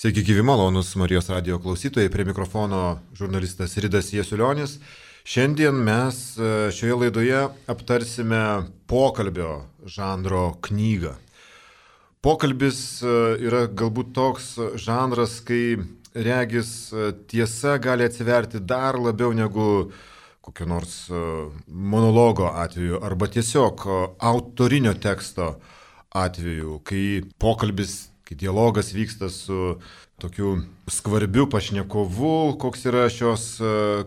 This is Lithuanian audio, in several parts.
Sveiki, gyvi malonus Marijos radio klausytojai, prie mikrofono žurnalistas Ridas Jasiulionis. Šiandien mes šioje laidoje aptarsime pokalbio žanro knygą. Pokalbis yra galbūt toks žanras, kai regis tiesa gali atsiverti dar labiau negu kokio nors monologo atveju arba tiesiog autorinio teksto atveju, kai pokalbis, kai dialogas vyksta su tokiu skvarbiu pašnekovu, koks yra šios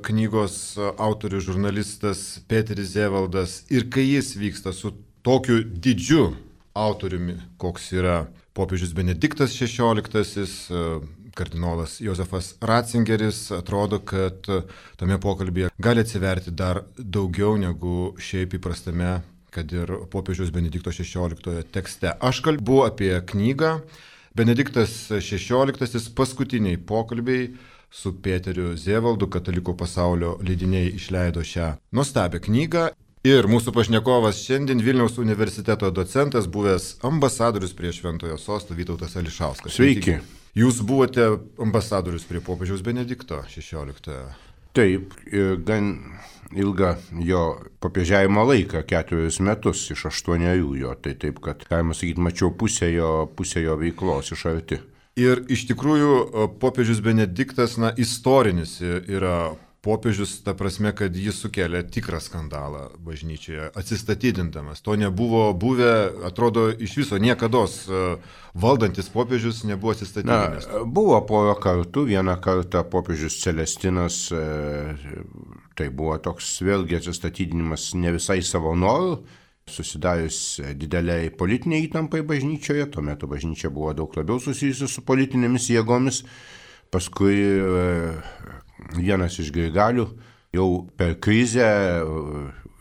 knygos autorius žurnalistas Peteris Zevaldas, ir kai jis vyksta su tokiu didžiu autoriumi, koks yra popiežius Benediktas XVI, kardinolas Jozefas Ratzingeris, atrodo, kad tame pokalbėje gali atsiverti dar daugiau negu šiaip įprastame, kad ir popiežiaus Benedikto XVI tekste. Aš kalbu apie knygą Benediktas XVI paskutiniai pokalbiai su Peteriu Zevaldu, Katalikų pasaulio leidiniai išleido šią nuostabią knygą. Ir mūsų pašnekovas šiandien Vilniaus universiteto docentas, buvęs ambasadorius prie Šventojo sosto Vytautas Ališauskas. Sveiki. Jūs buvote ambasadorius prie popiežiaus Benedikto XVI. Taip, gan ilgą jo popiežiavimo laiką, 4 metus iš 8 jo, tai taip, kad, galima sakyti, mačiau pusę jo veiklos iš arti. Ir iš tikrųjų popiežius Benediktas, istorinis yra popiežius, ta prasme, kad jis sukėlė tikrą skandalą bažnyčioje, atsistatydindamas. To nebuvo buvę, atrodo, iš viso niekados valdantis popiežius nebuvo atsistatydinęs. Buvo porą kartų, vieną kartą popiežius Celestinas, tai buvo toks vėlgi atsistatydinimas ne visai savo norų, susidarius dideliai politiniai įtampai bažnyčioje, tuo metu bažnyčia buvo daug labiau susijusi su politinėmis jėgomis, paskui vienas iš Grigalių jau per krizę,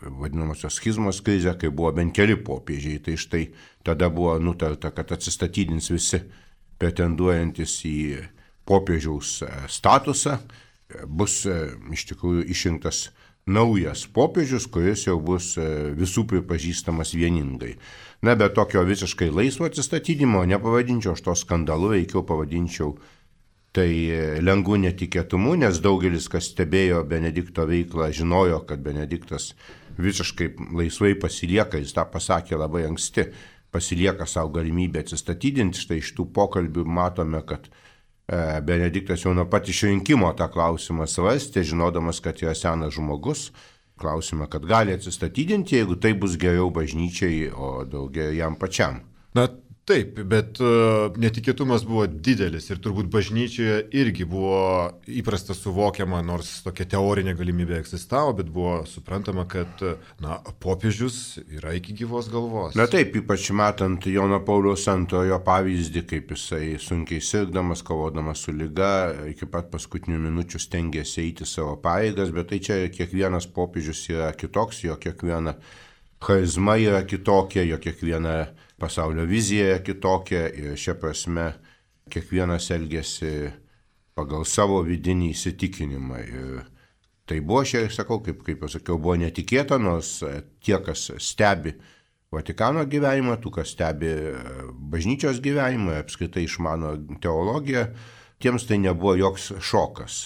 vadinamosios schizmos krizę, kai buvo bent keli popiežiai, tai štai tada buvo nutarta, kad atsistatydins visi pretenduojantis į popiežiaus statusą, bus iš tikrųjų išrinktas naujas popiežius, kuris jau bus visų pripažįstamas vieningai. Bet tokio visiškai laisvo atsistatydinimo nepavadinčiau aš to skandalu, veikiau pavadinčiau tai lengvų netikėtumų, nes daugelis, kas stebėjo Benedikto veiklą, žinojo, kad Benediktas visiškai laisvai pasilieka, jis tą pasakė labai anksti, pasilieka savo galimybę atsistatydinti. Štai iš tų pokalbių matome, kad Benediktas jau nuo pat išrinkimo tą klausimą svarstė, žinodamas, kad yra senas žmogus. Klausimą, kad gali atsistatydinti, jeigu tai bus geriau bažnyčiai, o daugiau jam pačiam. Taip, bet netikėtumas buvo didelis ir turbūt bažnyčioje irgi buvo įprasta suvokiama, nors tokia teorinė galimybė egzistavo, bet buvo suprantama, kad popiežius yra iki gyvos galvos. Taip, ypač matant Jono Pauliaus II pavyzdį, kaip jisai sunkiai sirgdamas, kovodamas su liga, iki pat paskutinių minučių stengėsi eiti savo pareigas, bet tai čia kiekvienas popiežius yra kitoks, jo kiekviena charizma yra kitokia, jo kiekviena pasaulio vizija yra kitokia ir šia prasme kiekvienas elgėsi pagal savo vidinį įsitikinimą. Ir tai buvo, sakau, kaip jau sakiau, buvo netikėta, nors tie, kas stebi Vatikano gyvenimą, tų, kas stebi bažnyčios gyvenimą, apskritai išmano teologiją, tiems tai nebuvo joks šokas.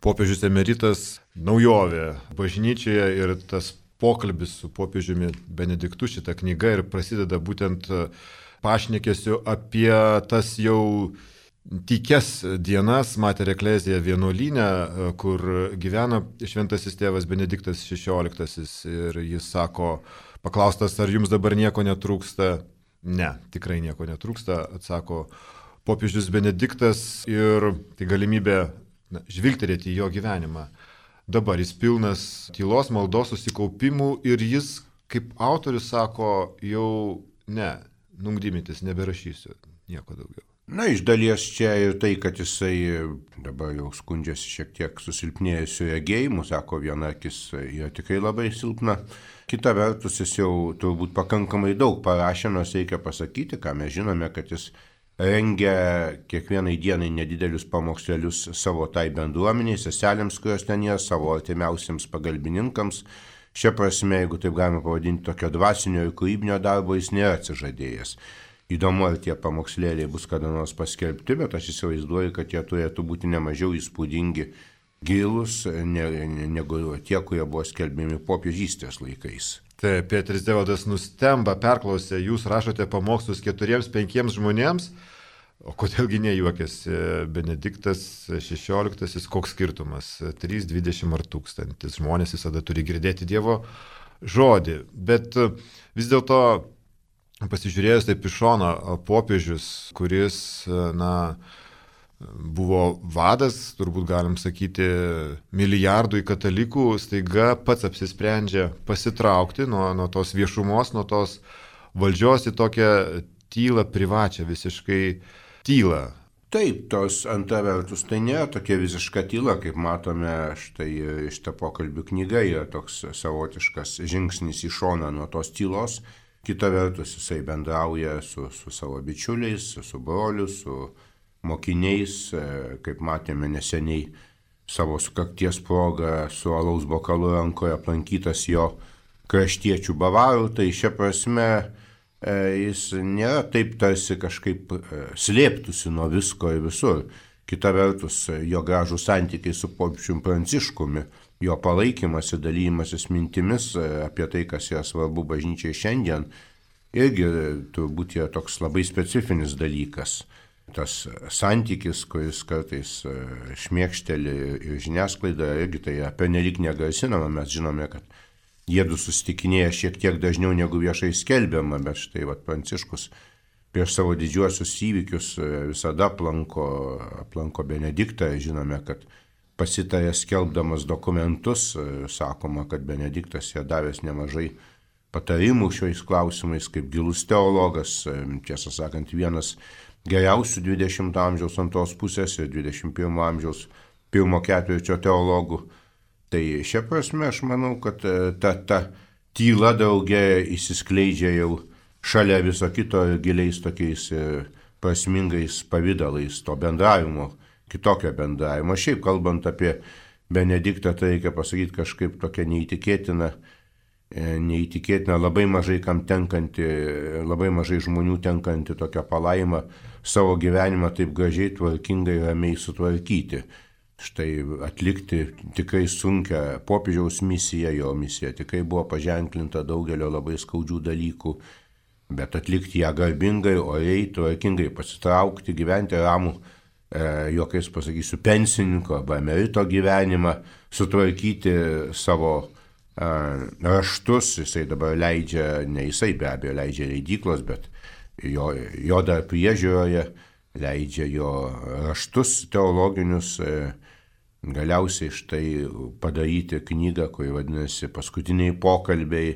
Popiežius emeritas naujovė bažnyčioje ir tas pokalbis su popiežiumi Benediktu, šita knyga, ir prasideda būtent pašnekesiu apie tas jau tykias dienas Mater Ecclesiae vienuolyne, kur gyvena šventasis tėvas Benediktas XVI, ir jis sako, paklaustas, ar jums dabar nieko netrūksta? Ne, tikrai nieko netrūksta, atsako popiežius Benediktas, ir tai galimybė žvilgterėti į jo gyvenimą. Dabar jis pilnas tylos, maldos, susikaupimų, ir jis, kaip autorius, sako, jau nungdymintis, neberašysiu nieko daugiau. Iš dalies čia ir tai, kad jisai dabar jau skundžiasi šiek tiek susilpnėjusiu regėjimu, sako, viena akis yra tikrai labai silpna. Kita vertus, jis jau turbūt pakankamai daug parašė, nors reikia pasakyti, ką mes žinome, kad jis rengia kiekvienai dienai nedidelius pamokslelius savo tai bendruomeniai, seselėms, kurios ten yra, savo artimiausiams pagalbininkams. Šia prasme, jeigu taip galima pavadinti, tokio dvasinio ir kūrybinio darbo jis nėra atsižadėjęs. Įdomu, ar tie pamokslėliai bus kada nors paskelbti, bet aš įsivaizduoju, kad jie turėtų būti nemažiau įspūdingi, gilus, negu tie, kurie buvo skelbiami popiežystės laikais. Taip, Petris Devaldas nustemba, perklausė, jūs rašote pamokslus 4-5 žmonėms, o kodėlgi nejuokėsi Benediktas XVI, koks skirtumas, 3, 20 ar 1000 žmonės visada turi girdėti Dievo žodį, bet vis dėlto pasižiūrėjus taip iš šono, popiežius, kuris, buvo vadas, turbūt galim sakyti, milijardui katalikų, staiga pats apsisprendžia pasitraukti nuo tos viešumos, nuo tos valdžios į tokią tylą, privačią visiškai tylą. Taip, tos antra vertus, tai nėra tokia visiška tyla, kaip matome, štai šitą pokalbių knygą yra toks savotiškas žingsnis į šoną nuo tos tylos. Kita vertus, jisai bendrauja su savo bičiuliais, su broliu, su mokiniais, kaip matėme neseniai savo sukakties progą su alaus bokalu rankoje aplankytas jo kraštiečių bavarų, tai šia prasme jis nėra taip tarsi kažkaip slėptųsi nuo visko ir visur. Kita vertus, jo gražų santykiai su popiežiumi Pranciškumi, jo palaikymas ir dalymasis mintimis apie tai, kas yra svarbu bažnyčiai šiandien, irgi turbūt yra toks labai specifinis dalykas. Tas santykis, kuris kartais šmėkšteli ir žiniasklaida, irgi tai pernelyg negarsinama, mes žinome, kad jiedu susitikinėja šiek tiek dažniau negu viešai skelbiama, bet štai Pranciškus prieš savo didžiuosius įvykius visada aplanko Benediktą, žinome, kad pasitarė skelbdamas dokumentus, sakoma, kad Benediktas yra davęs nemažai patarimų šiais klausimais, kaip gilus teologas, tiesą sakant, vienas geriausių 20 amžiaus antros pusės ir 21 amžiaus pirmo ketvirčio teologų. Tai šia prasme aš manau, kad ta tyla draugė įsiskleidžia jau šalia viso kito giliais tokiais prasmingais pavydalais to bendravimo, kitokio bendravimo. Šiaip kalbant apie Benediktą, tai reikia pasakyti kažkaip tokia neįtikėtina, labai mažai kam tenkanti, labai mažai žmonių tenkanti tokia palaima savo gyvenimą taip gražiai, tvarkingai, ramiai sutvarkyti. Štai atlikti tikrai sunkią popiežiaus misiją, jo misija tikrai buvo paženklinta daugelio labai skaudžių dalykų, bet atlikti ją garbingai, oriai, tvarkingai, pasitraukti, gyventi ramų, jokiais pasakysiu, pensininko arba emerito gyvenimą, sutvarkyti savo raštus, jisai dabar leidžia, ne jisai be abejo leidžia leidyklos, bet jo dar priežiūroje leidžia jo raštus teologinius, galiausiai štai padaryti knygą, kuri vadinasi Paskutiniai pokalbiai,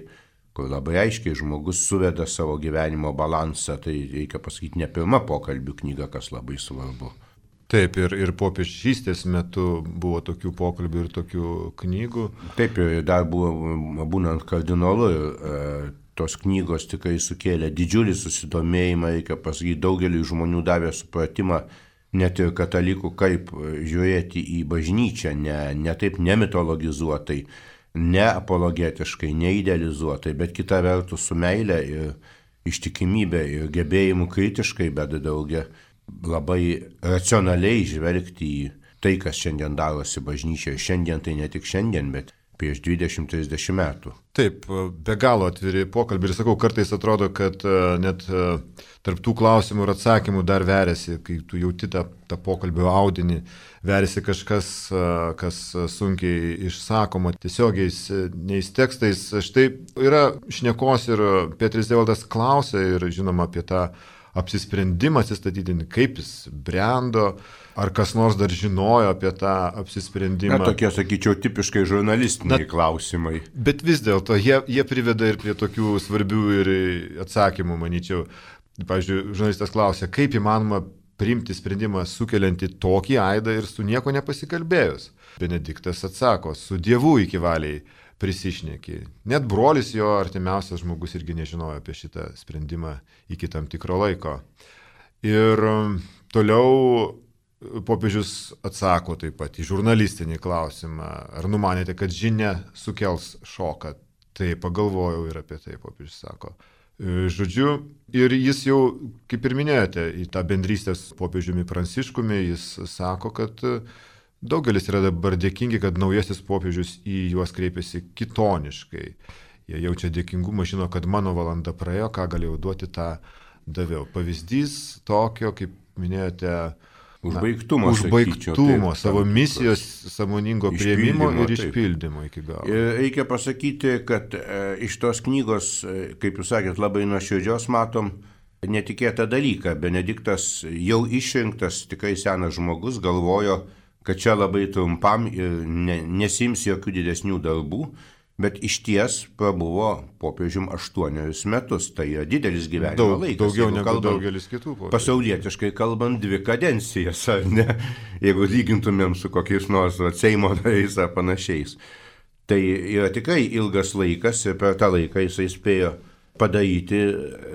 kur labai aiškiai žmogus suveda savo gyvenimo balansą, tai reikia pasakyti ne pirma pokalbių knyga, kas labai svarbu. Taip, ir popiežystės metu buvo tokių pokalbių ir tokių knygų. Taip, ir dar buvo, būnant kardinolu, tos knygos tikrai sukėlė didžiulį susidomėjimą, reikia pasakyti, daugeliui žmonių davė supratimą, net ir katalikų, kaip žiūrėti į bažnyčią, ne taip nemitologizuotai, ne apologetiškai, neidealizuotai, bet kita vertus su meile ir ištikimybė ir gebėjimu kritiškai, bet daugia labai racionaliai žvelgti į tai, kas šiandien darosi bažnyčioje. Šiandien tai ne tik šiandien, bet prieš 20-30 metų. Taip, be galo atviri pokalbiai ir sakau, kartais atrodo, kad net tarp tų klausimų ir atsakymų dar veriasi, kai tu jauti tą pokalbio audinį, veriasi kažkas, kas sunkiai išsakoma, tiesiogiais neis tekstais. Štai yra šnekos ir Petris Devaldas klausia ir žinoma apie tą apsisprendimą atsistatydinti, kaip jis brendo, ar kas nors dar žinojo apie tą apsisprendimą. Tokie, sakyčiau, tipiškai žurnalistiniai klausimai. Bet vis dėlto jie priveda ir prie tokių svarbių ir atsakymų, manyčiau. Pavyzdžiui, žurnalistas klausia, kaip įmanoma priimti sprendimą sukeliantį tokį aidą ir su nieko nepasikalbėjus. Benediktas atsako, su Dievu iki valiai prisišneki. Net brolis jo artimiausias žmogus irgi nežinojo apie šitą sprendimą iki tam tikro laiko. Ir toliau popiežius atsako taip pat į žurnalistinį klausimą. Ar numanėte, kad žinia sukels šoką? Tai pagalvojau ir apie tai, popiežius sako. Žodžiu, ir jis jau, kaip ir minėjote, į tą bendrystės popiežiumi Pranciškumi, jis sako, kad daugelis yra dabar dėkingi, kad naujasis popiežius į juos kreipiasi kitoniškai. Jie jaučia dėkingumą, žino, kad mano valanda praėjo, ką galėjau duoti, tą daviau. Pavyzdys tokio, kaip minėjote, užbaigtumo, savo misijos sąmoningo priėmimo ir išpildymo iki galo. Ir reikia pasakyti, kad iš tos knygos, kaip jūs sakėt, labai nuoširdžios matom netikėtą dalyką. Benediktas jau išrinktas, tikrai senas žmogus, galvojo, kad čia labai trumpam ir nesiims jokių didesnių darbų, bet iš ties prabuvo popiežium 8 metus. Tai yra didelis gyvenimo laikas. Daugiau negu daugelis kitų popiežių. Pasaulietiškai kalbant, 2 kadencijas, ar ne? Jeigu lygintumėm su kokiais nors Seimo nariais ar panašiais. Tai yra tikrai ilgas laikas ir per tą laiką jisai spėjo padaryti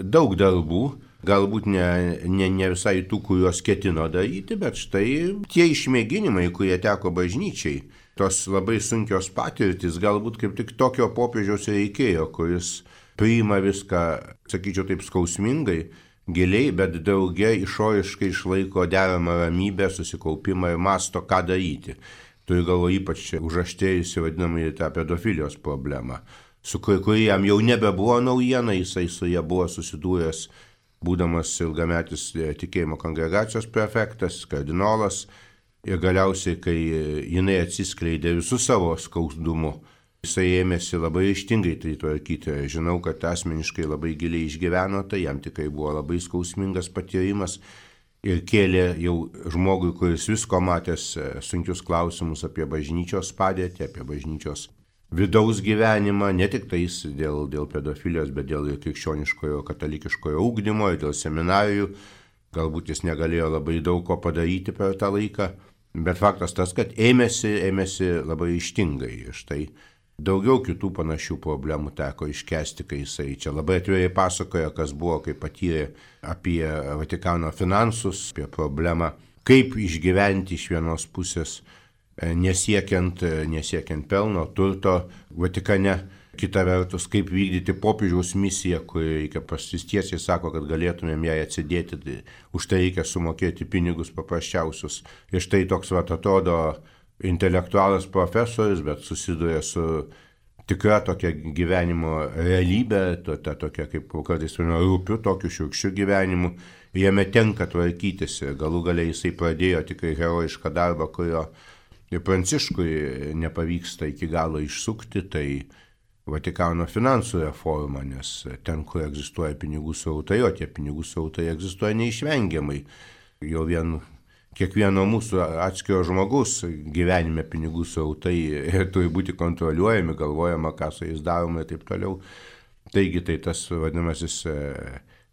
daug darbų. Galbūt ne visai tų, kuriuos ketino daryti, bet štai tie išmėginimai, kurie teko bažnyčiai, tos labai sunkios patirtis, galbūt kaip tik tokio popiežiaus reikėjo, kuris priima viską, sakyčiau taip, skausmingai, giliai, bet drauge išoriškai išlaiko deramą ramybę, susikaupimą ir masto, ką daryti. Turiu galvoje ypač užaštėjusi vadinamąjį tą pedofilijos problemą, su kuri jam jau nebebuvo naujiena, jisai su ja buvo susidūręs, būdamas ilgametis tikėjimo kongregacijos prefektas, kardinolas. Ir galiausiai, kai jinai atsiskleidė visų savo skausdumu, jisai ėmėsi labai ryžtingai tai tvarkyti. Žinau, kad asmeniškai labai giliai išgyveno, tai jam tikrai buvo labai skausmingas patyrimas ir kėlė jau žmogui, kuris visko matęs sunkius klausimus apie bažnyčios padėtį, apie bažnyčios vidaus gyvenimą, ne tik tais dėl pedofilijos, bet dėl krikščioniškojo, katalikiškojo ugdymo ir dėl seminarijų. Galbūt jis negalėjo labai daug ko padaryti per tą laiką, bet faktas tas, kad ėmėsi labai ryžtingai. Ir štai daugiau kitų panašių problemų teko iškesti, kai jisai čia labai atvirai pasakoja, kas buvo, kaip patyrė apie Vatikano finansus, apie problemą, kaip išgyventi iš vienos pusės nesiekiant pelno, turto Vatikane. Kita vertus, kaip vykdyti popiežiaus misiją, kur reikia pasistiesiai sako, kad galėtumėm jai atsidėti, tai už tai reikia sumokėti pinigus paprasčiausius. Ir štai toks atrodo intelektualas profesorius, bet susiduria su tikra tokia gyvenimo realybė, tokia kaip kartais rūpiu, tokiu šiurkščiu gyvenimu. Jame tenka tvarkytis ir galų galiai jisai pradėjo tikrai herojišką darbą, kurio ir Pranciškui nepavyksta iki galo išsukti, tai Vatikano finansų reforma, nes ten, kur egzistuoja pinigų srautai, o tie pinigų srautai egzistuoja neišvengiamai. Jau kiekvieno mūsų atskiro žmogus gyvenime pinigų srautai turi būti kontroliuojami, galvojama, ką su jais daroma ir taip toliau. Taigi tai tas vadinamasis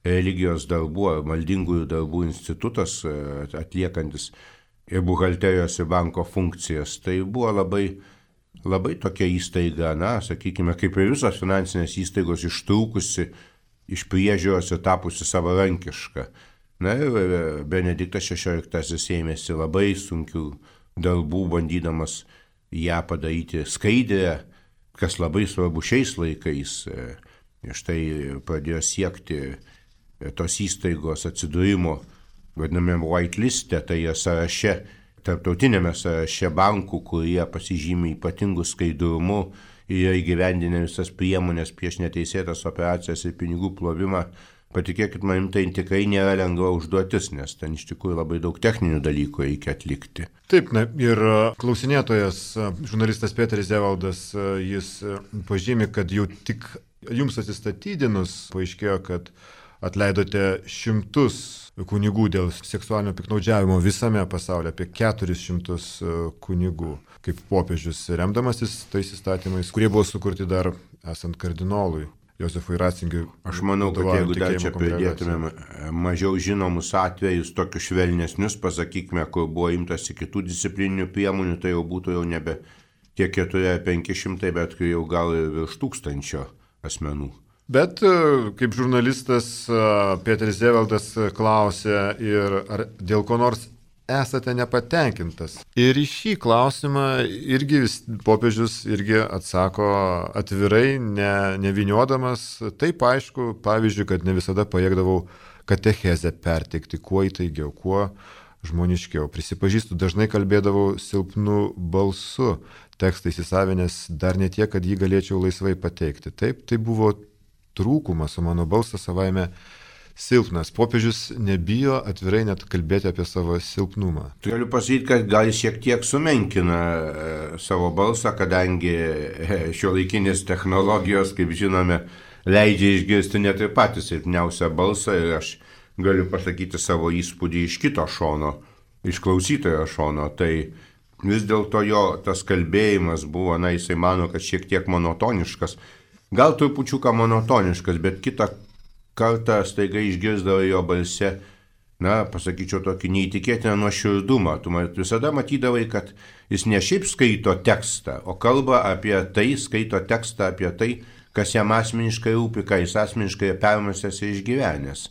religijos darbų, maldingųjų darbų institutas atliekantis ir buhalterijos ir banko funkcijas, tai buvo labai tokia įstaiga, sakykime, kaip ir visos finansinės įstaigos ištrūkusi iš priežiūros ir tapusi savarankiška. Ir Benediktas XVI ėmėsi labai sunkių darbų, bandydamas ją padaryti skaidrę, kas labai svarbu šiais laikais. Ir štai pradėjo siekti tos įstaigos atsidūrimo, vadinamėm whiteliste, tai sąraše, tarptautinėme sąraše bankų, kurie pasižymi ypatingų skaidrumu ir įgyvendinę visas priemonės prieš neteisėtas operacijas ir pinigų plovimą. Patikėkit manim, tai tikrai nėra lengva užduotis, nes ten iš tikrųjų labai daug techninių dalykų reikia atlikti. Taip, ir klausinėtojas, žurnalistas Peteris Zevaldas, jis pažymi, kad jau tik jums atsistatydinus paaiškėjo, kad atleidote 100 kunigų dėl seksualinio piknaudžiavimo visame pasaulyje, apie 400 kunigų, kaip popiežius remdamasis tais įstatymais, kurie buvo sukurti dar esant kardinolui Josefui Ratzingeriui. Aš manau, kad jeigu dar čia pridėtumėm mažiau žinomus atvejus, tokius švelnesnius, pasakykime, kur buvo imtasi kitų disciplininių priemonių, tai jau būtų jau nebe tie 400-500, bet jau gal ir virš 1000 asmenų. Bet kaip žurnalistas Peteris Zevaldas klausė, ir ar dėl ko nors esate nepatenkintas. Ir į šį klausimą irgi popiežius irgi atsako atvirai, neviniodamas. Taip aišku, pavyzdžiui, kad ne visada pajėgdavau katechezę perteikti kuo įtaigiau, kuo žmoniškiau. Prisipažįstu, dažnai kalbėdavau silpnu balsu, tekstą įsisavinęs dar ne tiek, kad jį galėčiau laisvai pateikti. Taip, tai buvo trūkumas, o mano balsas savaime silpnas. Popiežius nebijo atvirai net kalbėti apie savo silpnumą. Galiu pasakyti, kad gal jis šiek tiek sumenkina savo balsą, kadangi šiuolaikinės technologijos, kaip žinome, leidžia išgirsti net ir patį silpniausią balsą ir aš galiu pasakyti savo įspūdį iš kito šono, iš klausytojo šono. Tai vis dėlto jo tas kalbėjimas buvo, jisai mano, kad šiek tiek monotoniškas. Gal trupučiuką monotoniškas, bet kitą kartą staiga išgirsdavo jo balse, pasakyčiau, tokį neįtikėtiną nuoširdumą. Tu visada matydavai, kad jis ne šiaip skaito tekstą, o kalba apie tai, skaito tekstą apie tai, kas jam asmeniškai rūpi, ką jis asmeniškai permąstęs ir išgyvenęs.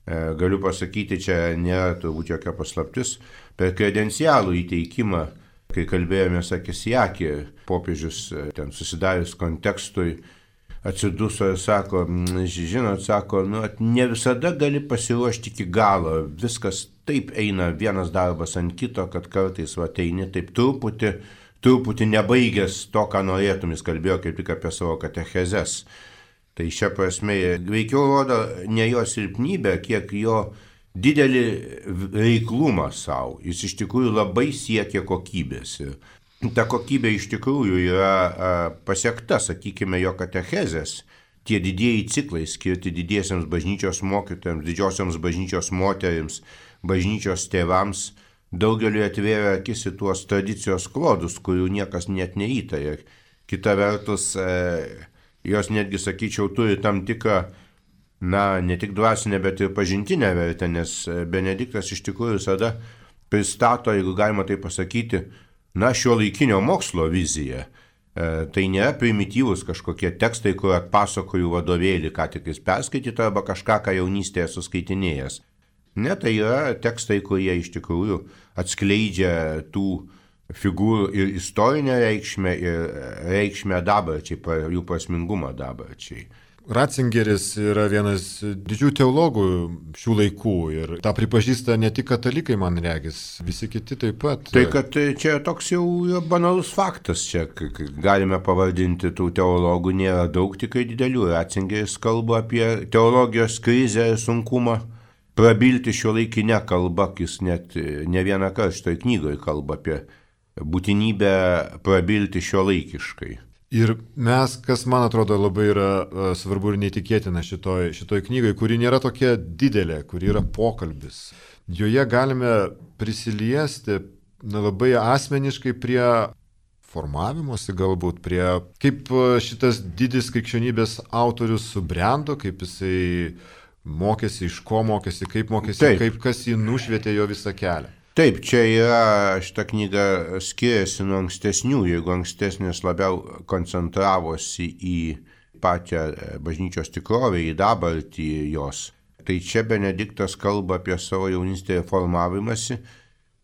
Galiu pasakyti, čia nėra turbūt jokia paslaptis, per kredencialų įteikimą, kai kalbėjomės akis į akį, popiežius ten susidarius kontekstui atsiduso ir sako, žinot, sako, ne visada gali pasiruošti iki galo, viskas taip eina vienas darbas ant kito, kad kartais eini taip truputį nebaigęs to, ką norėtum. Jis kalbėjo kaip tik apie savo katechezes. Tai šia prasme veikiau rodo ne jo silpnybę, kiek jo didelį reiklumą savo. Jis iš tikrųjų labai siekia kokybės. Ir ta kokybė iš tikrųjų yra pasiekta, sakykime, jo katechezės. Tie didieji ciklai skirti didiesiams bažnyčios mokytojams, didžiosioms bažnyčios moterims, bažnyčios tėvams, daugeliu atvėrė akis į tuos tradicijos klodus, kurių niekas net neįtarė. Kita vertus, jos netgi, sakyčiau, turi tam tikrą, ne tik dvasinę, bet ir pažintinę vertę, nes Benediktas iš tikrųjų visada pristato, jeigu galima tai pasakyti, šiuolaikinio mokslo viziją. Tai nėra primityvus kažkokie tekstai, kur atpasakoju vadovėlį, ką tik jis perskaitytų, arba kažką, ką jaunystėje suskaitinėjęs. Ne, tai yra tekstai, kurie iš tikrųjų atskleidžia tų figūrų ir istorinę reikšmę, ir reikšmę dabarčiai, jų prasmingumą dabarčiai. Ratzingeris yra vienas didžių teologų šių laikų ir tą pripažįsta ne tik katalikai, man regis, visi kiti taip pat. Tai kad čia toks jau banalus faktas, čia galime pavadinti tų teologų, nėra daug tikrai didelių. Ratzingeris kalba apie teologijos krizę ir sunkumą prabilti šiuolaikinę kalbą, jis net ne vieną kartą šitoj knygoje kalba apie būtinybę prabilti šiuolaikiškai. Ir mes, kas man atrodo labai yra svarbu ir neįtikėtina šitoj knygai, kuri nėra tokia didelė, kuri yra pokalbis. Joje galime prisiliesti labai asmeniškai prie formavimosi galbūt, prie kaip šitas didis krikščionybės autorius subrendo, kaip jisai mokėsi, iš ko mokėsi, kaip mokėsi, kaip kas jį nušvietė jo visą kelią. Taip, čia yra, šita knyga skiriasi nuo ankstesnių, jeigu ankstesnės labiau koncentravosi į pačią bažnyčios tikrovę, į dabartį jos. Tai čia Benediktas kalba apie savo jaunystėje formavimąsi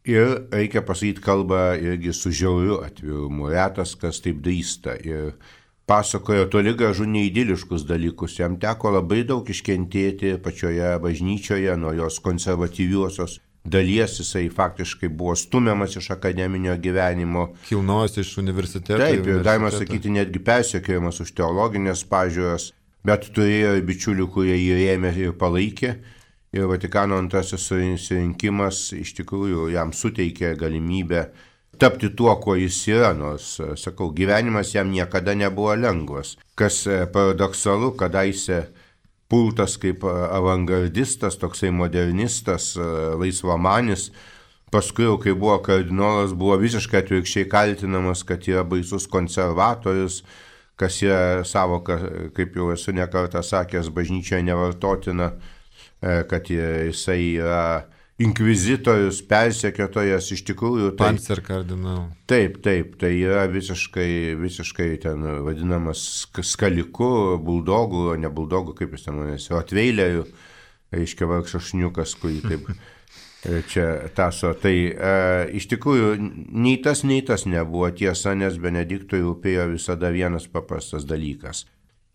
ir, reikia pasakyti, kalba irgi su žiauriu atvirumu, retas kas taip drįsta. Ir pasakojo toli gražu neidiliškus dalykus, jam teko labai daug iškentėti pačioje bažnyčioje nuo jos konservatyviosios dalies, jisai faktiškai buvo stumiamas iš akademinio gyvenimo. Kilnojas iš universiteto. Taip, ir galima sakyti, netgi persekiojamas už teologinės pažiūras, bet turėjo bičiulių, kurie jį rėmė ir palaikė. Ir Vatikano antrasis susirinkimas iš tikrųjų jam suteikė galimybę tapti tuo, kuo jis yra, nors, sakau, gyvenimas jam niekada nebuvo lengvas. Kas paradoksalu, kadaise pultas kaip avangardistas, toksai modernistas, laisvamanis, paskui jau, kai buvo kardinolas, buvo visiškai atvirkščiai kaltinamas, kad yra baisus konservatorius, kas yra savoka, kaip jau esu nekartą sakęs, bažnyčioje nevartotina, kad jisai yra inkvizitorius, persekiotojas, iš tikrųjų. Pancer kardinal. Taip, tai yra visiškai ten vadinamas skaliku, buldogu, ne buldogu, kaip jis ten manęs, atveileriu, reiškia vargšas šniukas, kurį taip. Čia taso. Tai iš tikrųjų nei tas nebuvo tiesa, nes Benediktui rūpėjo visada vienas paprastas dalykas.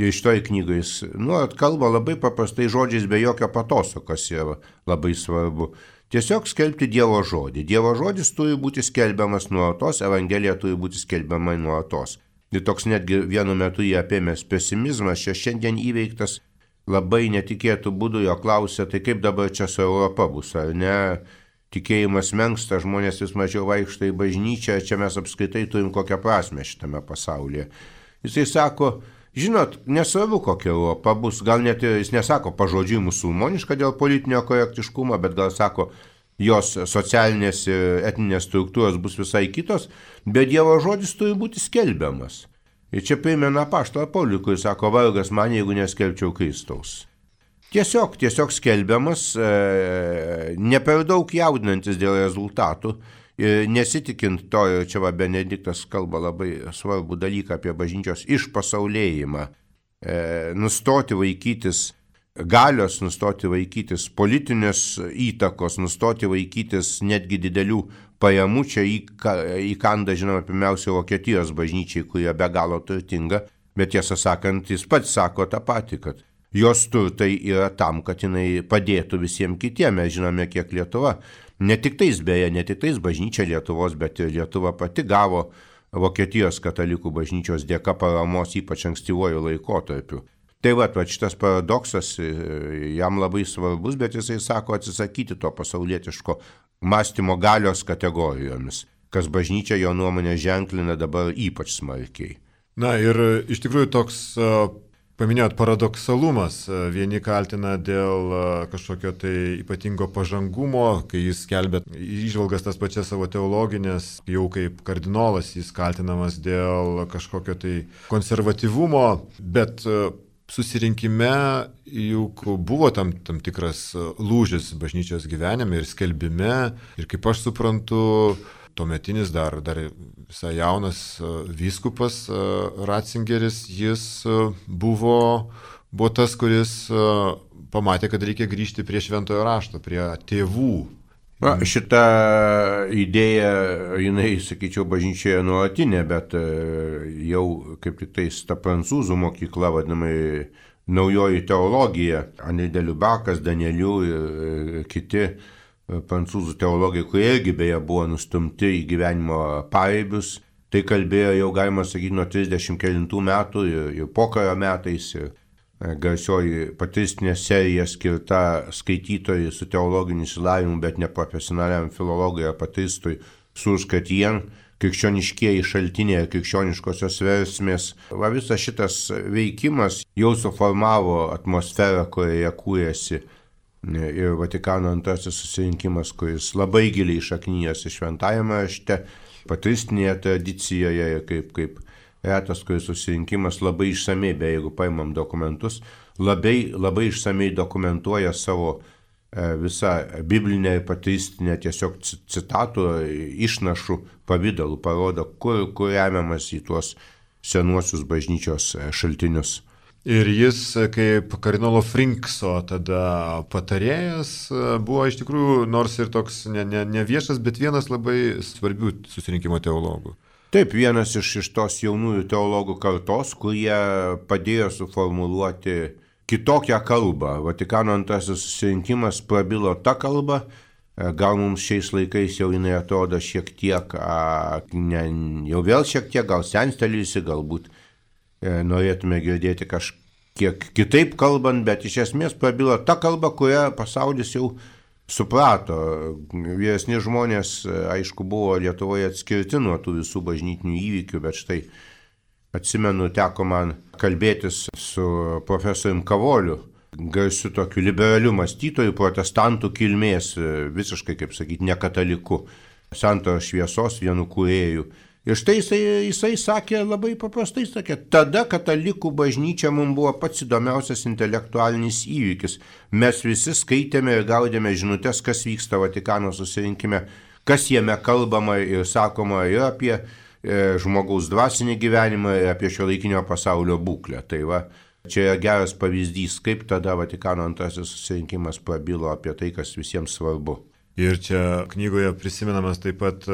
Ir šitoj knygoj jis nuolat kalba labai paprastai žodžiais be jokio patoso, kas yra labai svarbu. Tiesiog skelbti Dievo žodį. Dievo žodis turi būti skelbiamas nuolatos, Evangelija turi būti skelbiama nuolatos. Ir toks netgi vienu metu jį apėmęs pesimizmas čia šiandien įveiktas labai netikėtų būdų, jo klausia, tai kaip dabar čia su Europa bus, ar ne? Tikėjimas menksta, žmonės vis mažiau vaikšto į bažnyčią, čia mes apskritai turim kokią prasmę šitame pasaulyje. Jisai sako, žinot, nesvarbu kokia Europa bus, gal net jis nesako pažodžiui musulmoniška dėl politinio korektiškumo, bet gal sako, jos socialinės ir etninės struktūros bus visai kitos, bet Dievo žodis turi būti skelbiamas. Ir čia primena apaštalą Paulių, kuris sako, vargas man, jeigu neskelbčiau Kristaus. Tiesiog skelbiamas, ne per daug jaudinantis dėl rezultatų, nesitikint to, ir čia Benediktas kalba labai svarbų dalyką apie bažnyčios išpasaulėjimą, nustoti vaikytis galios, nustoti vaikytis politinės įtakos, nustoti vaikytis netgi didelių pajamų. Čia įkanda, žinoma, pirmiausia Vokietijos bažnyčiai, kurie be galo turtinga, bet tiesą sakant, jis pats sako tą patį, kad jos turtai yra tam, kad jinai padėtų visiems kitiems. Mes žinome, kiek Lietuva, ne tik tais bažnyčia Lietuvos, bet ir Lietuva pati gavo Vokietijos katalikų bažnyčios dėka paramos, ypač ankstyvuoju laikotarpiu. Tai va šitas paradoksas jam labai svarbus, bet jisai sako atsisakyti to pasaulietiško mąstymo galios kategorijomis, kas bažnyčia jo nuomonė ženklina dabar ypač smarkiai. Na ir iš tikrųjų toks, paminėjot, paradoksalumas. Vieni kaltina dėl kažkokio tai ypatingo pažangumo, kai jis skelbia įžvalgas tas pačias savo teologinės, jau kaip kardinolas jis kaltinamas dėl kažkokio tai konservatyvumo, bet susirinkime juk buvo tam tikras lūžis bažnyčios gyvenime ir skelbime, ir kaip aš suprantu, tuometinis dar visai jaunas vyskupas Ratzingeris, jis buvo tas, kuris pamatė, kad reikia grįžti prie šventojo rašto, prie tėvų. Šita idėja, jinai, sakyčiau, bažnyčioje nuolatinė, bet jau kaip tik tais ta prancūzų mokykla, vadinamai naujoji teologija, Henri de Lubakas, Danielių ir kiti prancūzų teologai, kurie irgi beje buvo nustumti į gyvenimo pareibius, tai kalbėjo jau, galima sakyti, nuo 30 kelintų metų ir pokario metais. Garsioji patristinė serija skirta skaitytojai su teologiniu išsilavinimu, bet ne profesionaliam filologui ar patristui, Surscatien, krikščioniškieji šaltiniai ir krikščioniškosios versmės. Visas šitas veikimas jau suformavo atmosferą, kurioje kūrėsi ir Vatikano antrasis susirinkimas, kuris labai giliai šaknyjasi šventajame rašte, patristinėje tradicijoje ir kaip retas, kuris susirinkimas labai išsamei, jeigu paimam dokumentus, labai išsamei dokumentuoja savo visą biblinę ir patristinę tiesiog citatų, išnašų pavidalų, parodo, kur remiamas į tuos senuosius bažnyčios šaltinius. Ir jis kaip kardinolo Frinkso tada patarėjas buvo iš tikrųjų, nors ir toks ne viešas, bet vienas labai svarbių susirinkimo teologų. Taip, vienas iš tos jaunųjų teologų kartos, kurie padėjo suformuluoti kitokią kalbą. Vatikano antrasis susirinkimas prabilo tą kalbą, gal mums šiais laikais jau jinai atrodo šiek tiek, jau vėl šiek tiek, gal senstelėjusi, galbūt norėtume girdėti kažkiek kitaip kalbant, bet iš esmės prabilo tą kalbą, kurią pasaulis jau suprato. Vyresni žmonės, aišku, buvo Lietuvoje atskirti nuo tų visų bažnytinių įvykių, bet štai atsimenu, teko man kalbėtis su profesorium Kavoliu, garsiu tokiu liberaliu mąstytoju, protestantų kilmės, visiškai, kaip sakyti, ne kataliku, Santaros šviesos vienu kūrėjų. Ir štai jisai sakė, labai paprastai sakė, tada katalikų bažnyčia mums buvo pats įdomiausias intelektualinis įvykis. Mes visi skaitėme ir gaudėme žinutės, kas vyksta Vatikano susirinkime, kas jame kalbama ir sakoma ir apie žmogaus dvasinį gyvenimą, ir apie šiuolaikinio pasaulio būklę. Tai va, čia yra geras pavyzdys, kaip tada Vatikano antrasis susirinkimas prabilo apie tai, kas visiems svarbu. Ir čia knygoje prisimenamas taip pat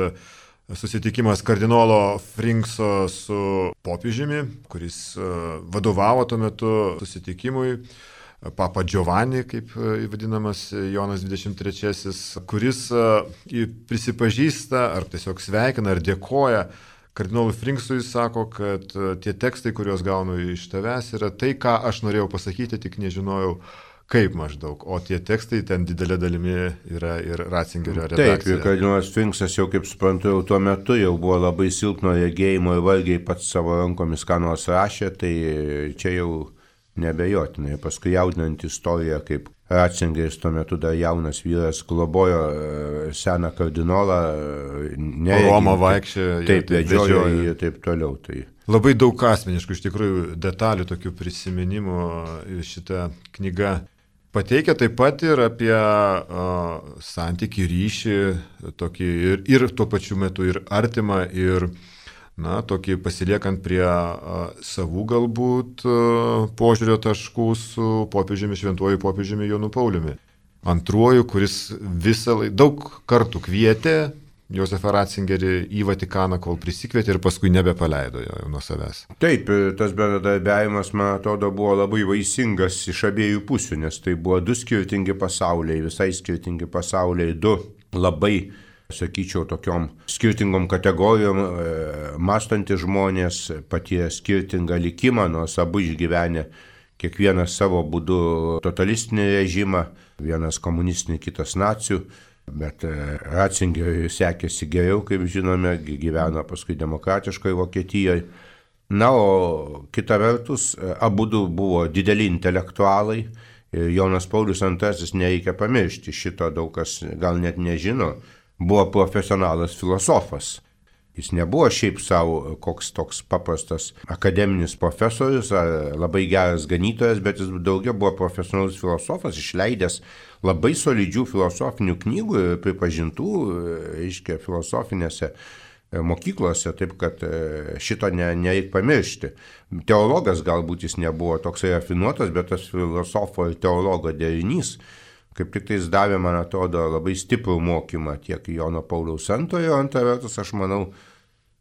susitikimas kardinolo Frinkso su popiežiumi, kuris vadovavo tuo metu susitikimui, Papa Giovanni, kaip vadinamas Jonas 23, kuris prisipažįsta ar tiesiog sveikina ar dėkoja kardinolui Frinksui, sako, kad tie tekstai, kuriuos gaunu iš tavęs, yra tai, ką aš norėjau pasakyti, tik nežinojau, kaip maždaug, o tie tekstai ten didelė dalimi yra ir Ratzingerio redakcija. Taip, ir kardinolas Frinksas jau, kaip suprantu, jau tuo metu jau buvo labai silpno regėjimo ir vargiai pats savo rankomis ką nors rašė, tai čia jau nebejotinai. Paskui jaudinant istoriją, kaip Ratzingeris tuo metu dar jaunas vyras globojo seną kardinolą, Romą vaikščiojo, taip, vedžiojo ir taip toliau. Tai. Labai daug asmeniškų, iš tikrųjų, detalių, tokių prisiminimų šitą knygą pateikia, taip pat ir apie santykį, ryšį, tokį ir tuo pačiu metu ir artimą, ir tokį pasiliekant prie savų galbūt požiūrio taškų su popiežiumi, šventuoju popiežiumi Jonu Pauliumi II, kuris daug kartų kvietė Josefą Ratzingerį į Vatikaną, kol prisikvietė ir paskui nebepaleido jo nuo savęs. Taip, tas bendradarbiavimas, man atrodo, buvo labai vaisingas iš abiejų pusių, nes tai buvo du skirtingi pasauliai, visai skirtingi pasauliai, du labai, sakyčiau, tokiom skirtingom kategorijom mąstantys žmonės, patyrė skirtingą likimą, nors abu išgyvenę kiekvienas savo būdu totalistinį režimą, vienas komunistinį, kitas nacių. Bet Ratzingeriui sekėsi geriau, kaip žinome, gyveno paskui demokratiškoje Vokietijoje. O kita vertus, abudu buvo dideli intelektualai ir Jonas Paulius II, nereikia pamiršti, šito daug kas gal net nežino, buvo profesionalas filosofas. Jis nebuvo šiaip savo koks toks paprastas akademinis profesorius ar labai geras ganytojas, bet jis daugiau buvo profesionalus filosofas, išleidęs labai solidžių filosofinių knygų ir pripažintų, reiškia, filosofinėse mokyklose, taip kad šito nereik pamiršti. Teologas galbūt jis nebuvo toksai rafinuotas, bet tas filosofo ir teologo derinys kaip tik tai jis davė, man atrodo, labai stiprų mokymą tiek Jono Pauliaus II, o antra vertus, aš manau,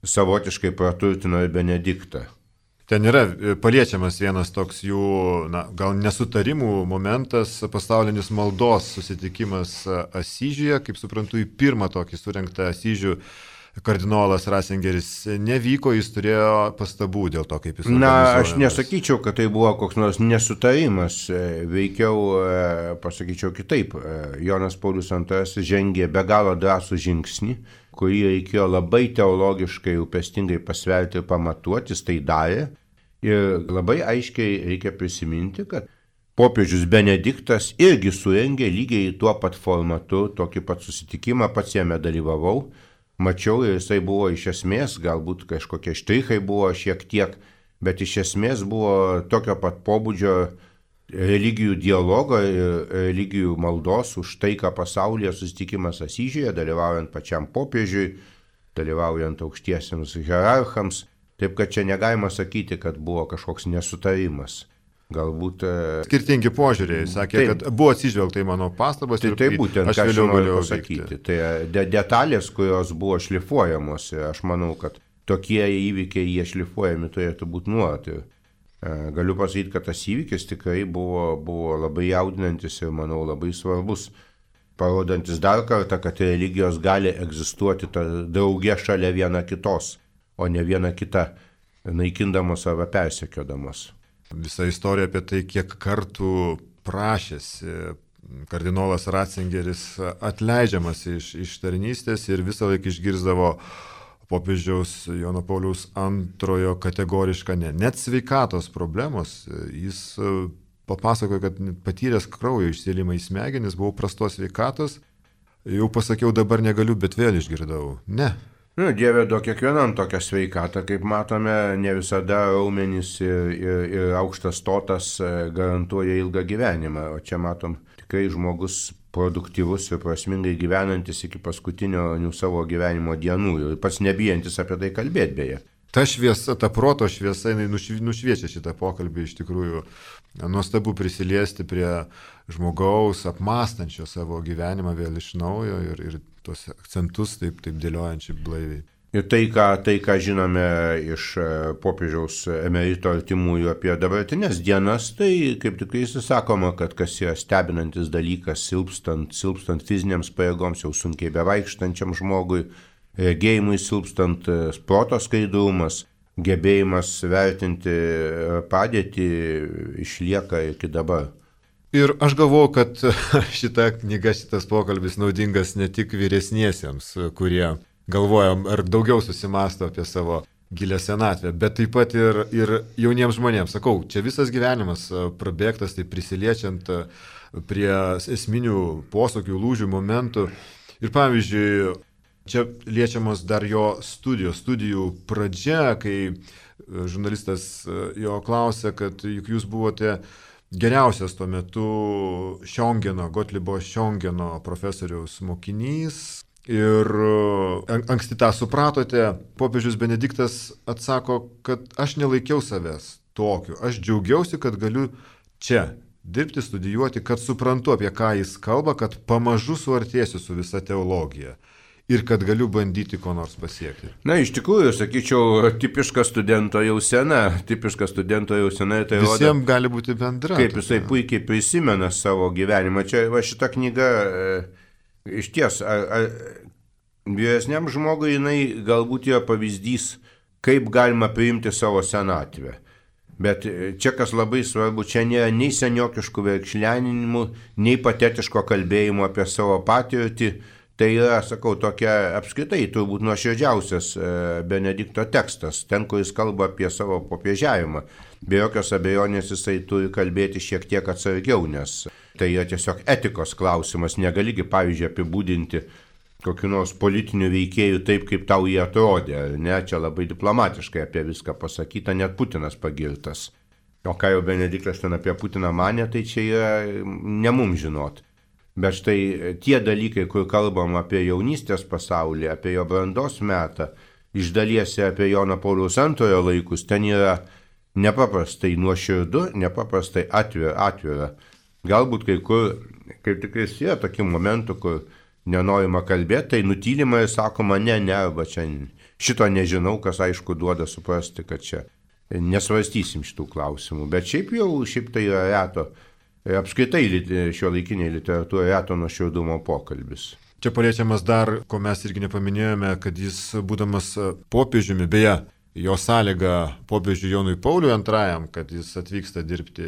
savotiškai praturtino ir Benediktą. Ten yra paliečiamas vienas toks jų, gal nesutarimų momentas, pasaulinis maldos susitikimas Asyžiuje, kaip suprantu, į pirmą tokį surengtą Asyžių kardinolas Ratzingeris nevyko, jis turėjo pastabų dėl to, kaip jis organizuojamas. Aš nesakyčiau, kad tai buvo koks nors nesutarimas, veikiau pasakyčiau kitaip. Jonas Paulius II žengė be galo drąsų žingsnį, kurį reikėjo labai teologiškai rūpestingai pasverti ir pamatuoti, jis tai darė. Ir labai aiškiai reikia prisiminti, kad popiežius Benediktas irgi surengė lygiai tuo pat formatu, tokį pat susitikimą, pats jame dalyvavau. Mačiau ir jisai buvo iš esmės, galbūt kažkokie štrichai buvo šiek tiek, bet iš esmės buvo tokio pat pobūdžio religijų dialogo ir religijų maldos už taiką pasaulyje susitikimas Asyžiuje, dalyvaujant pačiam popiežiui, dalyvaujant aukštiesiems hierarchams. Taip kad čia negalima sakyti, kad buvo kažkoks nesutarimas. Galbūt skirtingi požiūriai, sakė, taip, kad buvo atsižvelgta į mano pastabas. Tai būtent, ką aš noriu pasakyti. Tai detalės, kurios buvo šlifuojamos, aš manau, kad tokie įvykiai, jie šlifuojami turėtų būti nuolat. Galiu pasakyti, kad tas įvykis tikrai buvo labai jaudinantis ir, manau, labai svarbus, parodantis dar kartą, kad religijos gali egzistuoti drauge šalia viena kitos, o ne viena kita naikindamos arba persekiodamos. Visa istorija apie tai, kiek kartų prašėsi kardinolas Ratzingeris atleidžiamas iš tarnystės ir visą laiką išgirzdavo popiežiaus Jono Pauliaus II kategorišką net sveikatos problemos. Jis papasakojo, kad patyręs kraujo išsėlimą į smegenis, buvau prastos sveikatos, jau pasakiau, dabar negaliu, bet vėl išgirdau. Ne. Dieve duok kiekvienam tokią sveikatą, kaip matome, ne visada raumenys ir aukštas stotas garantuoja ilgą gyvenimą, o čia matom tikrai žmogus produktyvus ir prasmingai gyvenantis iki paskutinio savo gyvenimo dienų ir pats nebijantis apie tai kalbėti beje. Ta šviesa, ta proto šviesa, jinai nušviečia šitą pokalbį iš tikrųjų. Nuostabu prisiliesti prie žmogaus, apmąstančio savo gyvenimą vėl iš naujo ir tuos akcentus taip dėliojančiai blaiviai. Ir tai, ką žinome iš popiežiaus emerito artimųjų apie dabartinės dienas, tai kaip tik sakoma, kad kas yra stebinantis dalykas, silpstant fiziniams pajėgoms, jau sunkiai bevaikštančiam žmogui, regėjimui silpstant, proto skaidrumas, gebėjimas vertinti padėtį išlieka iki dabar. Ir aš galvoju, kad šita knyga, šitas pokalbis naudingas ne tik vyresniesiems, kurie galvojam ar daugiau susimasto apie savo gilę senatvę, bet taip pat ir jauniems žmonėms. Sakau, čia visas gyvenimas prabėgtas, tai prisiliečiant prie esminių posūkių, lūžių momentų. Ir pavyzdžiui, čia liečiamos dar jo studijų pradžia, kai žurnalistas jo klausė, kad juk jūs buvote geriausias tuo metu Gotlibo Šiongeno profesoriaus mokinys. Ir anksti tą supratote, popiežius Benediktas atsako, kad aš nelaikiau savęs tokiu, aš džiaugiausi, kad galiu čia dirbti, studijuoti, kad suprantu, apie ką jis kalba, kad pamažu suartėsiu su visa teologija ir kad galiu bandyti ko nors pasiekti. Na, iš tikrųjų, sakyčiau, tipiška studento jausena. Tai visiems gali būti bendra. Kaip jisai puikiai prisimena savo gyvenimą. Čia va šita knyga... Iš ties, vyresniam žmogui jinai galbūt yra pavyzdys, kaip galima priimti savo senatvę. Bet čia kas labai svarbu, čia nėra nei seniokiškų verkšleninimų, nei patetiško kalbėjimo apie savo patirtį. Tai yra, sakau, tokia apskritai turbūt nuoširdžiausias Benedikto tekstas, ten, kur jis kalba apie savo popiežiavimą. Be jokios abejonės jisai turi kalbėti šiek tiek atsargiau, nes tai yra tiesiog etikos klausimas. Negaligi, pavyzdžiui, apibūdinti kokiu nors politiniu veikėju taip, kaip tau jie atrodė. Ne, čia labai diplomatiškai apie viską pasakyta, net Putinas pagirtas. O ką jau Benediktas ten apie Putiną manė, tai čia yra ne mums žinot. Bet štai tie dalykai, kur kalbam apie jaunystės pasaulį, apie jo brandos metą, iš dalies apie Jono Pauliaus II laikus, ten yra nepaprastai nuoširdu, nepaprastai atvira. Galbūt kai kur, kaip tikrai yra tokių momentų, kur nenorima kalbėti, tai nutylima ir sakoma, ne, arba čia šito nežinau, kas aišku duoda suprasti, kad čia nesvarstysim šitų klausimų. Bet šiaip tai yra reto. Apskritai šiuolaikinėje literatūroje reto nuoširdumo pokalbis. Čia paliečiamas dar, ko mes irgi nepaminėjome, kad jis būdamas popiežiumi, beje, jo sąlyga popiežiui Jonui Pauliui II, kad jis atvyksta dirbti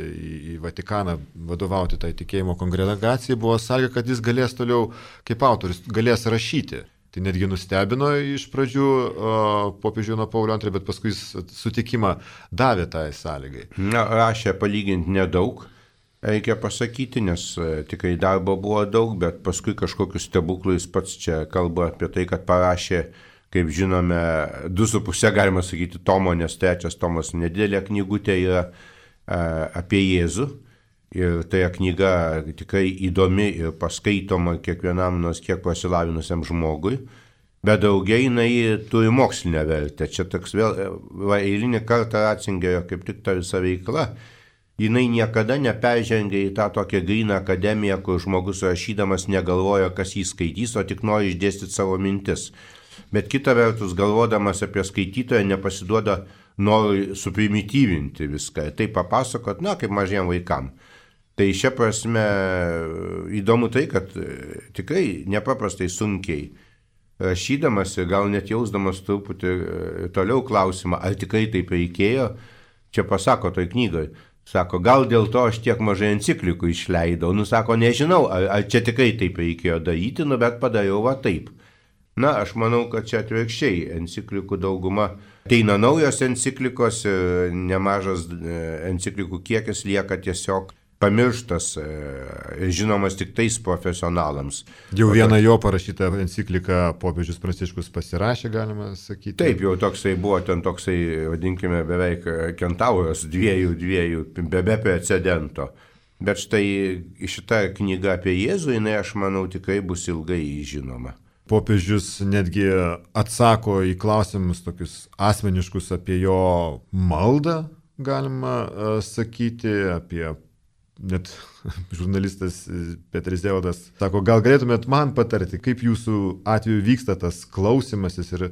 į Vatikaną, vadovauti tai tikėjimo kongregacijai, buvo sąlyga, kad jis galės toliau, kaip autorius, galės rašyti. Tai netgi nustebino iš pradžių popiežių Jono Paulio II, bet paskui jis sutikimą davė tai sąlygai. Na, rašė palyginti nedaug. Reikia pasakyti, nes tikrai darbo buvo daug, bet paskui kažkokius stebuklus pats čia kalba apie tai, kad parašė, kaip žinome, 2,5 galima sakyti tomo, nes 3 tomas nedidelė knygutė yra apie Jėzų. Ir tai knyga tikrai įdomi ir paskaitoma kiekvienam nors kiek pasilavinusiam žmogui. Bet daugiai jinai turi mokslinę vertę. Čia toks vėl eilinį kartą Ratzingerio kaip tik ta visa veikla. Jinai niekada neperžengia į tą tokią gryną akademiją, kur žmogus rašydamas negalvoja, kas jį skaitys, o tik nori išdėstyti savo mintis. Bet kita vertus, galvodamas apie skaitytoją, nepasiduoda norui suprimityvinti viską. Tai papasakot, kaip mažiem vaikam. Tai šia prasme įdomu tai, kad tikrai nepaprastai sunkiai rašydamas ir gal net jausdamas truputį toliau klausimą, ar tikrai taip reikėjo, čia pasako toj knygoj. Sako, gal dėl to aš tiek mažai enciklikų išleidau. Sako, nežinau, ar čia tikrai taip reikėjo daryti, bet padariau va taip. Na, aš manau, kad čia atvirkščiai enciklikų dauguma. Ateina naujos enciklikos ir nemažas enciklikų kiekis lieka tiesiog pamirštas, žinomas tik tais profesionalams. Jau vieną jo parašytą encikliką popiežius Pranciškus pasirašė, galima sakyti. Taip, jau toksai buvo, ten toksai, vadinkime, beveik kentauras dviejų, be precedento. Bet štai šita knyga apie Jėzų, jinai, aš manau, tikrai bus ilgai žinoma. Popiežius netgi atsako į klausimus tokius asmeniškus apie jo maldą, galima sakyti, apie net žurnalistas Petris Zeodas sako, gal galėtumėt man patarti, kaip jūsų atveju vyksta tas klausimasis ir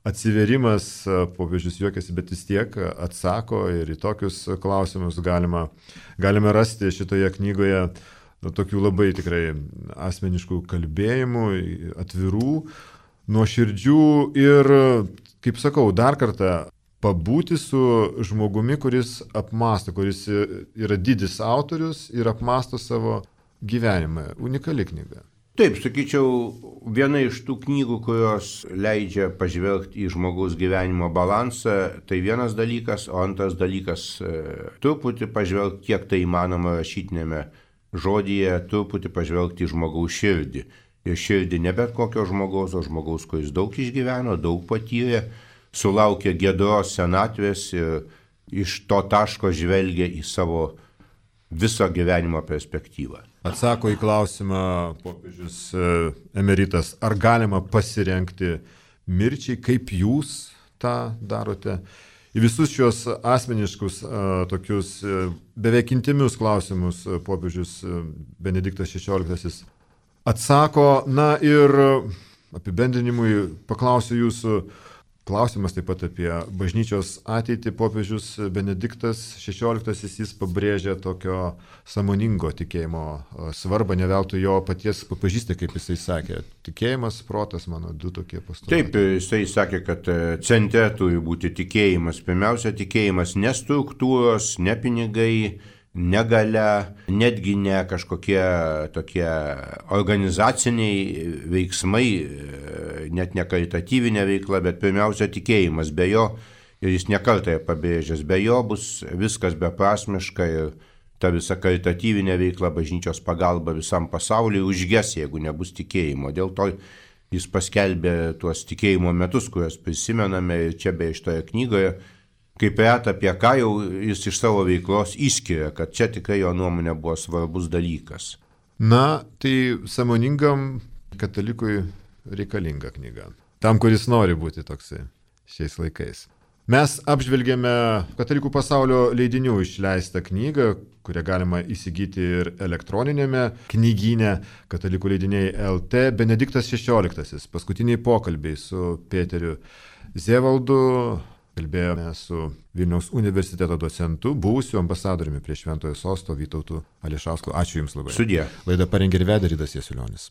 atsiverimas, popiežius juokiasi, bet vis tiek atsako ir į tokius klausimus galime rasti šitoje knygoje tokių labai tikrai asmeniškų kalbėjimų, atvirų, nuoširdžių ir, kaip sakau, dar kartą pabūti su žmogumi, kuris apmąsto, kuris yra didis autorius ir apmąsto savo gyvenimą. Unikali knyga. Taip, sakyčiau, viena iš tų knygų, kurios leidžia pažvelgti į žmogaus gyvenimo balansą, tai vienas dalykas, o antras dalykas truputį pažvelgti, kiek tai įmanoma rašytinėme žodyje, truputį pažvelgti į žmogaus širdį. Ir širdį ne bet kokio žmogaus, o žmogaus, kuris daug išgyveno, daug patyrė, sulaukė giedros senatvės ir iš to taško žvelgia į savo viso gyvenimo perspektyvą. Atsako į klausimą popiežius emeritas, ar galima pasirengti mirčiai, kaip jūs tą darote? Į visus šios asmeniškus, tokius beveik intimius klausimus popiežius Benediktas XVI atsako. Na ir apibendrinimui paklausiu jūsų. Klausimas taip pat apie bažnyčios ateitį. Popiežius Benediktas XVI jis pabrėžia tokio sąmoningo tikėjimo svarbą, ne veltui jo paties pažįsti, kaip jisai sakė. Tikėjimas, protas, mano du tokie postulatai. Taip, jisai sakė, kad centre turi būti tikėjimas. Pirmiausia, tikėjimas ne struktūros, ne pinigai, ne galia, netgi ne kažkokie tokie organizaciniai veiksmai, net ne karitatyvinė veikla, bet pirmiausia tikėjimas. Be jo, ir jis nekartą pabrėžęs, be jo bus viskas beprasmiška ir ta visa karitatyvinė veikla, bažnyčios pagalba visam pasauliui užges, jeigu nebus tikėjimo. Dėl to jis paskelbė tuos tikėjimo metus, kuriuos prisimename ir čia beje šitoje knygoje, kaip reta apie ką jau jis iš savo veiklos išskiria, kad čia tikrai jo nuomonė buvo svarbus dalykas. Na, tai sąmoningam katalikui reikalinga knyga. Tam, kuris nori būti toksai šiais laikais. Mes apžvelgėme Katalikų pasaulio leidinių išleistą knygą, kurią galima įsigyti ir elektroninėme knygyne Katalikų leidiniai LT. Benediktas XVI. Paskutiniai pokalbiai su Peteriu Zevaldu. Kalbėjome su Vilniaus universiteto docentu, buvusiu ambasadoriumi prie Šventojo Sosto Vytautu Ališausku. Ačiū Jums labai. Sudie. Laidą parengė ir vedė Ridas Jasiulionis.